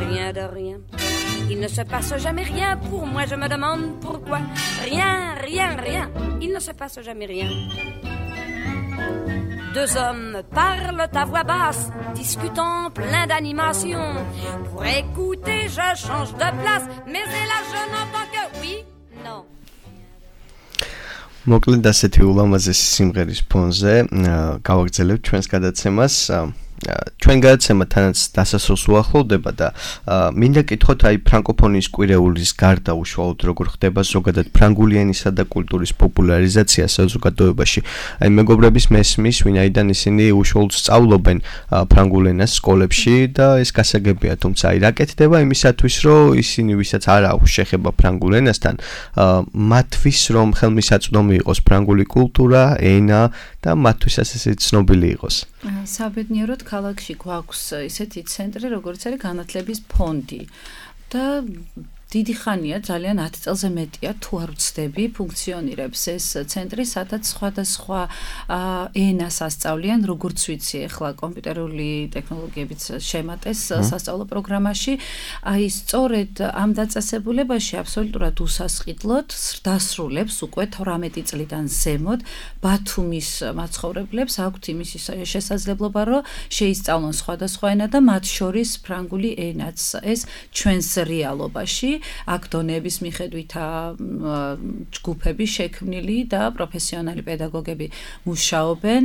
Rien de rien, il ne se passe jamais rien. Pour moi, je me demande pourquoi. Rien, rien, rien, il ne se passe jamais rien. Deux hommes parlent à voix basse, discutant plein d'animation. Pour écouter, je change de place, mais là je n'entends que oui, non. მოკლედ ასეთი ულამაზესი სიმღერის ფონზე გავაგრძელებთ ჩვენს გადაცემას. ჩვენ გადაცემა თანაც დასასრულს უახლოვდება და მინდა კითხოთ აი ფრანკოფონიის კვირეულის გარდა უშუალოდ როგორ ხდება ზოგადად ფრანგული ენისა და კულტურის პოპულარიზაცია საზოგადოებაში. აი მეგობრების მესმის, ვინაიდან ისინი უშუალოდ სწავლობენ ფრანგულ ენას სკოლებში და ეს გასაგებია, თუმცა აი რა კეთდება იმისათვის, რომ ისინი ვისაც არ აქვს შეხება ფრანგულ ენასთან, მათთვის რომ ხელმისაწვდომი იყოს ფრანგული კულტურა, ენა და მათთვის ასე ცნობილი იყოს. საბედნიეროდ ქალაქში გვაქვს ისეთი ცენტრი, როგორც არის განათლების ფონდი და დიდი ხანია, ძალიან ათი წელზე მეტია, თუ არ ვცდები, ფუნქციონირებს ეს ცენტრი, სადაც სხვადასხვა ენას ასწავლიან, როგორც ვიცი, ახლა კომპიუტერული ტექნოლოგიებით შემატეს სასწავლო პროგრამაში. აი, სწორედ ამ დაწესებულებაში აბსოლუტურად უსასყიდლოდ დასრულებს უკვე თვრამეტი წლიდან ზემოთ ბათუმის მაცხოვრებლებს აქვთ იმის შესაძლებლობა, რომ შეისწავლონ სხვადასხვა ენა და მათ შორის ფრანგული ენაც. ეს ჩვენს რეალობაში აქ დონეების მიხედვითაა ჯგუფები შექმნილი და პროფესიონალი პედაგოგები მუშაობენ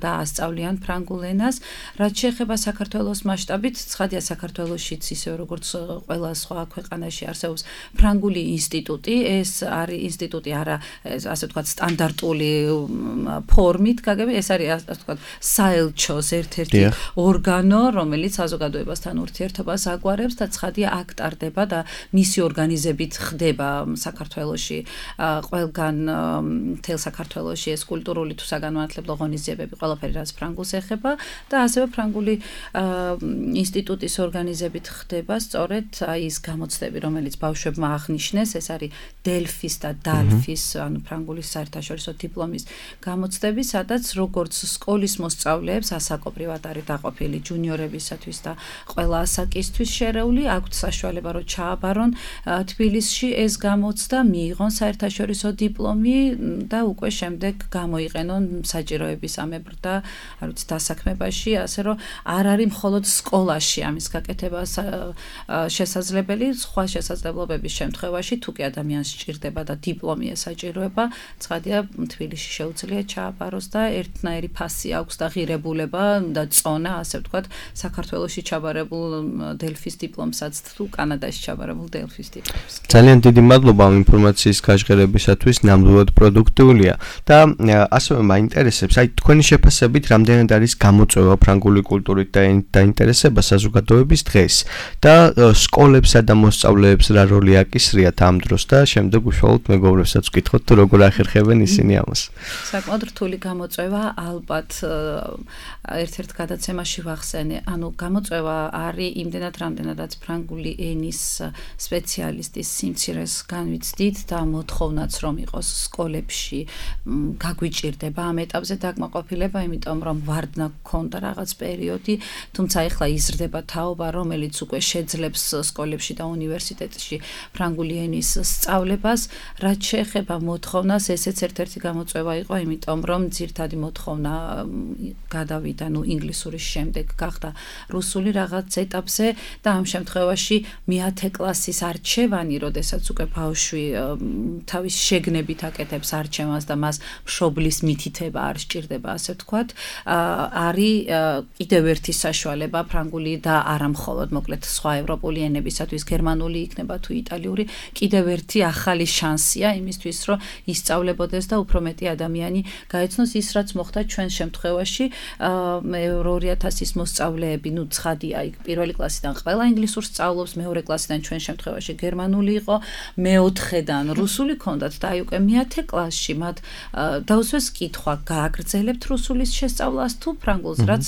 და ასწავლიან ფრანგულ ენას. რაც შეეხება საქართველოს მასშტაბით, ცხადია საქართველოშიც ისე როგორც ყველა სხვა ქვეყანაში არსებობს ფრანგული ინსტიტუტი. ეს არის ინსტიტუტი არა ასე ვთქვათ სტანდარტული ფორმით გაგები, ეს არის ასე ვთქვათ საელჩოს ერთ-ერთი ორგანო, რომელიც საზოგადოებასთან ურთიერთობას აგვარებს და ცხადია აქ ტარდება და მისი ორგანიზებით ხდება საქართველოში ყველგან მთელ საქართველოში ეს კულტურული თუ საგანმანათლებლო ღონისძიებები ყველაფერი რაც ფრანგულს ეხება და ასევე ფრანგული ინსტიტუტის ორგანიზებით ხდება სწორედ აი ის გამოცდები რომელიც ბავშვებმა აღნიშნეს ეს არის დელფის და დალფის ანუ ფრანგულის საერთაშორისო დიპლომის გამოცდები სადაც როგორც სკოლის მოსწავლეებს ასაკობრივად არის დაყოფილი ჯუნიორებისათვის და ყველა ასაკისთვის შერეული აქვთ საშუალება რომ ჩააბარონ თბილისში ეს გამოცდა მიიღონ საერთაშორისო დიპლომი და უკვე შემდეგ გამოიყენონ საჭიროების ამებრ და არ ვიცი დასაქმებაში ასე რომ არ არის მხოლოდ სკოლაში ამის გაკეთება შესაძლებელი სხვა შესაძლებლობების შემთხვევაში თუ კი ადამიანს სჭირდება და დიპლომი ესაჭიროება ცხადია თბილისში შეუძლია ჩააბაროს და ერთნაირი ფასი აქვს და ღირებულება და წონა ასე ვთქვათ საქართველოში ჩაბარებულ დელფის დიპლომსაც თუ კანადაში ჩაბარებულ დელფის დიპლომს. ძალიან დიდი მადლობა ამ ინფორმაციის გაჟღერებისათვის, ნამდვილად პროდუქტიულია და ასევე მაინტერესებს, აი თქვენი შეფასებით რამდენად არის გამოწვევა ფრანგული კულტურით და დაინტერესება საზოგადოების დღეს და სკოლებსა და მოსწავლეებს რა როლი აკისრიათ ამ დროს და შემდეგ უშუალოდ მეგობრებსაც ვკითხოთ თუ როგორ ახერხებენ ისინი ამას. საკმაოდ რთული გამოწვევა ალბათ ერთ-ერთ გადაცემაში ვახსენე, ანუ გამოწვევა არის იმდენად რამდენადაც ფრანგული ენის სპეციალისტის სიმცირეს განვიცდით და მოთხოვნაც რომ იყოს სკოლებში გაგვიჭირდება ამ ეტაპზე დაკმაყოფილება, იმიტომ რომ ვარდნა გქონდა რაღაც პერიოდი, თუმცა ეხლა იზრდება თაობა, რომელიც უკვე შეძლებს სკოლებში და უნივერსიტეტში ფრანგული ენის სწავლებას, რაც შეეხება მოთხოვნას, ესეც ერთ-ერთი გამოწვევა იყო, იმიტომ რომ ძირთადი მოთხოვნა გადავიდა, ნუ ინგლისურის შემდეგ გახდა რუსული რაღაც ეტაპზე და ამ შემთხვევაში მეათე კლასის არჩევანი, როდესაც უკვე ბავშვი თავის შეგნებით აკეთებს არჩევანს და მას მშობლის მითითება არ სჭირდება, ასე ვთქვათ, არის კიდევ ერთი საშუალება ფრანგული და არა მხოლოდ მოკლედ სხვა ევროპული ენებისათვის, გერმანული იქნება თუ იტალიური, კიდევ ერთი ახალი შანსია იმისთვის, რომ ისწავლებოდეს და უფრო მეტი ადამიანი გაეცნოს ის, რაც მოხდა ჩვენ შემთხვევაში, ორი ათასის მოსწავლეები, ნუ ცხადია, იქ პირველი კლასიდან ყველა ინგლისურს სწავლობს, მეორე კლასიდან ჩვენ შემთხვევაში გერმანული იყო, მეოთხედან რუსული ქონდათ და აი უკვე მეათე კლასში მათ დაუსვეს კითხვა, გააგრძელებთ რუსულის შესწავლას თუ ფრანგულს, რაც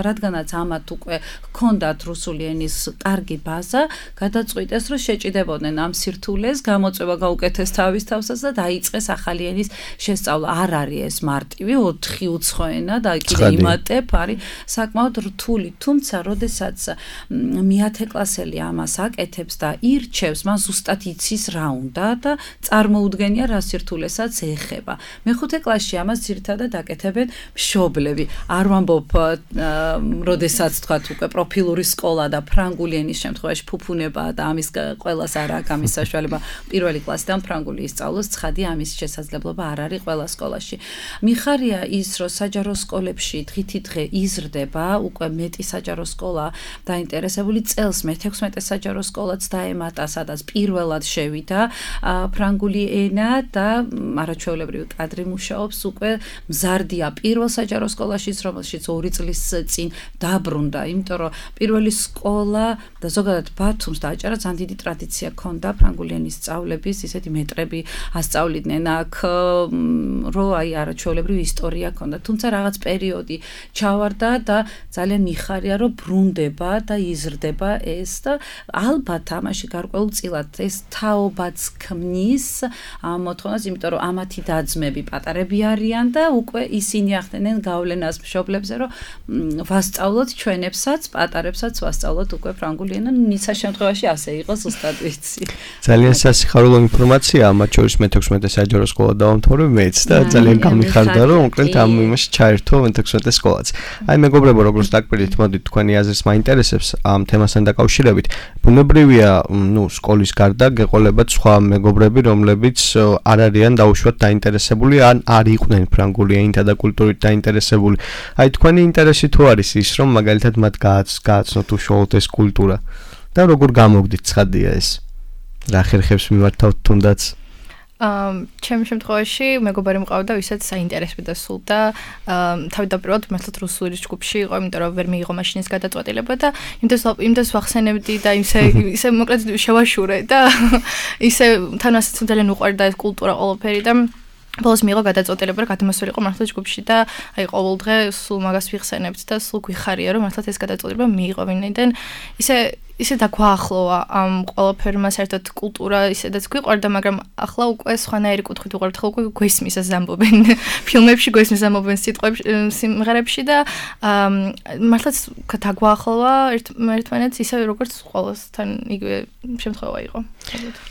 რადგანაც ამათ უკვე ჰქონდათ რუსული ენის კარგი ბაზა, გადაწყვიტეს, რომ შეჭიდებოდნენ ამ სირთულეს, გამოწვევა გაუკეთეს თავის თავსაც და დაიწყეს ახალი ენის შესწავლა. არ არის ეს მარტივი ოთხი უცხო ენა და კიდე იმატებ არის საკმაოდ რთული, თუმცა როდესაც მეათე კლასელი ამას აკეთებს და ირჩევს, მას ზუსტად იცის რა უნდა და წარმოუდგენია რა სირთულესაც ეხება. მეხუთე კლასში ამას ძირითადად აკეთებენ მშობლები. არ ვამბობ, როდესაც თქვათ უკვე პროფილური სკოლა და ფრანგული ენის შემთხვევაში ფუფუნებაა და ამის ყველას არ აქვს ამის საშუალება პირველი კლასიდან ფრანგული ისწავლოს, ცხადია ამის შესაძლებლობა არ არის ყველა სკოლაში. მიხარია ის, რომ საჯარო სკოლებში დღითი დღე იზრდება, უკვე მეტი საჯარო სკოლა დაინტერესებული, წელს მეთექვსმეტე საჯარო სკოლაც დაემატა, სადაც პირველად შევიდა ფრანგული ენა და არაჩვეულებრივი კადრი მუშაობს, უკვე მზარდია პირველ საჯარო სკოლაშიც, რომელშიც ორი წლის წინ დაბრუნდა, იმიტომ რომ პირველი სკოლა და ზოგადად ბათუმს დააჭარა ძალიან დიდი ტრადიცია ჰქონდა ფრანგული ენის სწავლების, ისეთი მეტრები ასწავლიდნენ აქ, რომ აი არაჩვეულებრივი ისტორია ჰქონდა, თუმცა რაღაც პერიოდი ჩავარდა და ძალიან მიხარია, რომ ბრუნდება და იზრდება ეს და ალბათ ამაში გარკვეულწილად ეს თაობაც ქმნის ამ მოთხოვნას, იმიტომ რომ ამათი და-ძმები პატარები არიან და უკვე ისინი ახდენენ გავლენას მშობლებზე, რომ ვასწავლოთ ჩვენებსაც, პატარებსაც ვასწავლოთ უკვე ფრანგული ენა, ნიშა შემთხვევაში ასე იყო, ზუსტად ვიცი. ძალიან სასიხარულო ინფორმაციაა, მათ შორის მეთექვსმეტე საჯარო სკოლა დავამთავრე მეც და ძალიან გამიხარდა, რომ უკრეთ ამ იმაში ჩაერთო მეთექვსმეტე სკოლაც. აი მეგობრებო, როგორც დაგკვირდით, მოდით თქვენი აზრს მაინტერესებს ამ თემასთან დაკავშირებით. ბუნებრივია, ნუ სკოლის გარდა გეყოლებათ სხვა მეგობრები, რომლებიც არ არიან დაუშვათ დაინტერესებული, ან არ იყვნენ ფრანგული ენითა და კულტურით დაინტერესებული. აი თქვენი ინტერესი თუ არის ის, რომ მაგალითად მათ გააცნოთ უშუალოდ ეს კულტურა და როგორ გამოგდით, ცხადია ეს. რა ხერხებს მიმართავთ თუნდაც? ჩემ შემთხვევაში მეგობარი მყავდა, ვისაც საინტერესებდა სულ და თავდაპირველად მართლაც რუსული ჯგუფში იყო, იმიტომ რომ ვერ მიიღო მაშინ ეს გადაწყვეტილება და იმდეს იმდეს ვახსენებდი და ისე ისე მოკლედ შევაშურე და ისე თან ასეც ძალიან უყვარდა ეს კულტურა ყველაფერი და ბოლოს მიიღო გადაწყვეტილება, რომ გადამასვლელიყო მართლაც ჯგუფში და აი ყოველ დღე სულ მაგას ვიხსენებთ და სულ გვიხარია, რომ მართლაც ეს გადაწყვეტილება მიიღო, ვინაიდან ისე ისე დაგვაახლოვა ამ ყველაფერმა საერთოდ კულტურა ისედაც გვიყვარდა, მაგრამ ახლა უკვე სხვანაირი კუთხით უყვართ, ხო უკვე გვესმის ეს ამბობენ ფილმებში, გვესმის ამბობენ სიტყვებში, სიმღერებში და მართლაც დაგვაახლოვა ერთმანეთს ისე როგორც ყველასთან იგივე შემთხვევა იყო.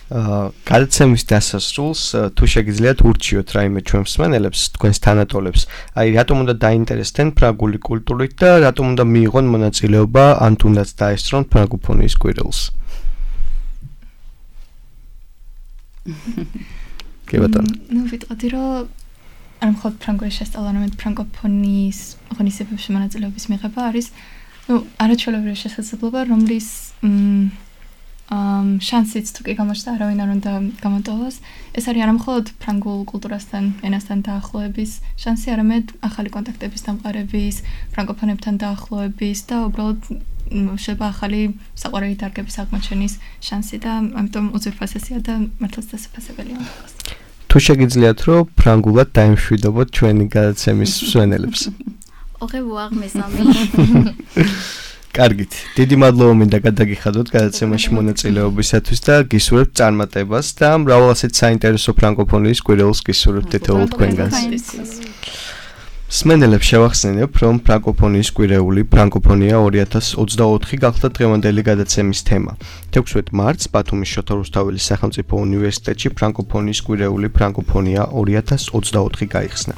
აა გადაცემის დასასრულს თუ შეგიძლიათ ურჩიოთ რაიმე ჩვენ მსმენელებს, თქვენს თანატოლებს, აი რატომ უნდა დაინტერესდნენ ფრანგული კულტურით და რატომ უნდა მიიღონ მონაწილეობა ან თუნდაც დაესწრონ ფრანგოფონიის კვირილს. კი ბატონო. ნუ ვიტყოდი, რომ არ მხოლოდ ფრანგული შესწავლა, არამედ ფრანგოფონიის ღონისძიებებში მონაწილეობის მიღება არის, ნუ არაჩვეულებრივი შესაძლებლობა, რომლის ამ შანსიც თუ კი გამოჩნდა, არავინ არ უნდა გამოტოვოს. ეს არის არა მხოლოდ ფრანგულ კულტურასთან, ენასთან დაახლოების შანსი, არამედ ახალი კონტაქტების დამყარების, ფრანგოფონებთან დაახლოების და უბრალოდ შეიძლება ახალი საყვარელი დარგების აღმოჩენის შანსი და ამიტომ უძვირფასია და მართლაც დასაფასებელია. თუ შეგიძლიათ, რომ ფრანგულად დაემშვიდობოთ ჩვენი გადაცემის მსმენელებს. ოღე ვაღ მესამე. კარგით, დიდი მადლობა მინდა გადაგიხადოთ გადაცემაში მონაწილეობისათვის და გისურვებთ წარმატებას და მრავალ ასეთ საინტერესო ფრანგოფონიის კვირილს გისურვებთ თითოეულ თქვენგანს. მსმენელებს შევახსენებ, რომ ფრანგოფონიის კვირეული ფრანგოფონია ორი ათას ოცდაოთხი გახდა დღევანდელი გადაცემის თემა. თექვსმეტ მარტს ბათუმის შოთა რუსთაველის სახელმწიფო უნივერსიტეტში ფრანგოფონიის კვირეული ფრანგოფონია ორი ათას ოცდაოთხი გაიხსნა.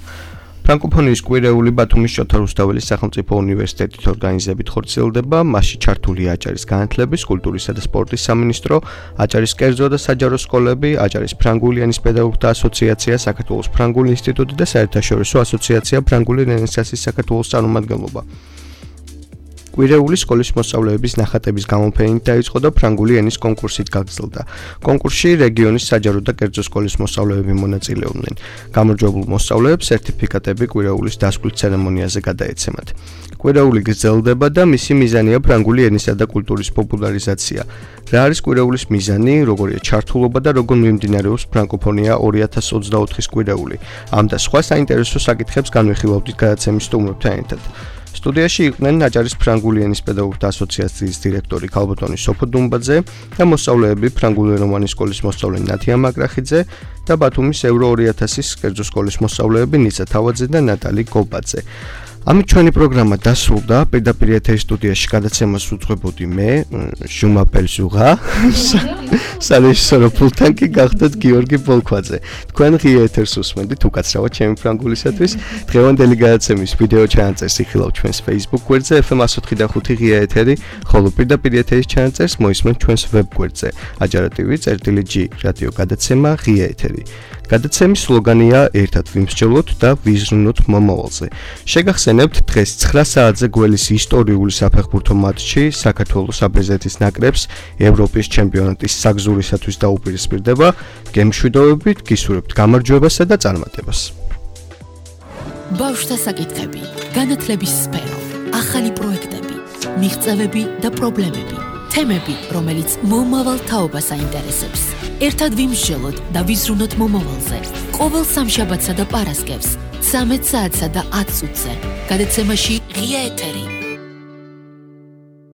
ფრანკოფონიის კვირეული ბათუმის შოთა რუსთაველის სახელმწიფო უნივერსიტეტით ორგანიზებით ხორციელდება, მასში ჩართულია აჭარის განათლების, კულტურისა და სპორტის სამინისტრო, აჭარის კერძო და საჯარო სკოლები, აჭარის ფრანგული ენის პედაგოგთა ასოციაცია, საქართველოს ფრანგული ინსტიტუტი და საერთაშორისო ასოციაცია ფრანგული რენესანსის საქართველოს წარმომადგენლობა. კვირეული სკოლის მოსწავლეების ნახატების გამოფენით დაიწყო და ფრანგული ენის კონკურსით გაგრძელდა. კონკურსში რეგიონის საჯარო და კერძო სკოლის მოსწავლეები მონაწილეობდნენ. გამარჯვებულ მოსწავლეებს სერტიფიკატები კვირეულის დასკვნის ცერემონიაზე გადაეცემათ. კვირეული გრძელდება და მისი მიზანია ფრანგული ენისა და კულტურის პოპულარიზაცია. რა არის კვირეულის მიზანი, როგორია ჩართულობა და როგორ მიმდინარეობს ფრანკოფონია ორი ათას ოცდაოთხის კვირეული. ამ და სხვა საინტერესო საკითხებს განვიხილავთ გადაცემის სტუმრებთან ერთად. სტუდიაში იყვნენ აჭარის ფრანგული ენის პედაგოგთა ასოციაციის დირექტორი ქალბატონი სოფო დუმბაძე და მოსწავლეები ფრანგულენოვანი სკოლის მოსწავლე ნათია მაკრახიძე და ბათუმის ევრო ორი ათასის კერძო სკოლის მოსწავლეები ნიცა თავაძე და ნატალი გობაძე. ამით ჩვენი პროგრამა დასრულდა. პირდაპირ ეთერის სტუდიაში გადაცემას უძღვებოდი მე, ჟუმა პელჟუღა, სარეჟისორო პულტთან კი გახდათ გიორგი ბოლქვაძე. თქვენ ღია ეთერს უსმენთ უკაცრავად ჩემი ფრანგულისათვის. დღევანდელი გადაცემის ვიდეო ჩანაწერს იხილავთ ჩვენს Facebook გვერდზე ეფ em one oh five ღია ეთერი, ხოლო პირდაპირ ეთერის ჩანაწერს მოისმენთ ჩვენს ვებ გვერდზე ajar tv წერტილი ჯი რადიო გადაცემა ღია ეთერი. გადაცემის სლოგანია ერთად ვიმსჯელოთ და ვიზრუნოთ მომავალზე. შეგახსენებთ დღეს ცხრა საათზე გველის ისტორიული საფეხბურთო მატჩი საქართველოს აბეზეთის ნაკრებს ევროპის ჩემპიონატის საგზურისათვის დაუპირისპირდება. გემშვიდობებით, გისურვებთ გამარჯვებასა და წარმატებას. ბავშვთა საკითხები, განათლების სფერო, ახალი პროექტები, მიღწევები და პრობლემები. თემები, რომელიც მომავალ თაობას აინტერესებს. ერთად ვიმსჯელოთ და ვიზრუნოთ მომავალზე. ყოველ სამშაბათსა და პარასკევს, ცამეტ საათსა და ათ წუთზე. გადაცემაში ღია ეთერი.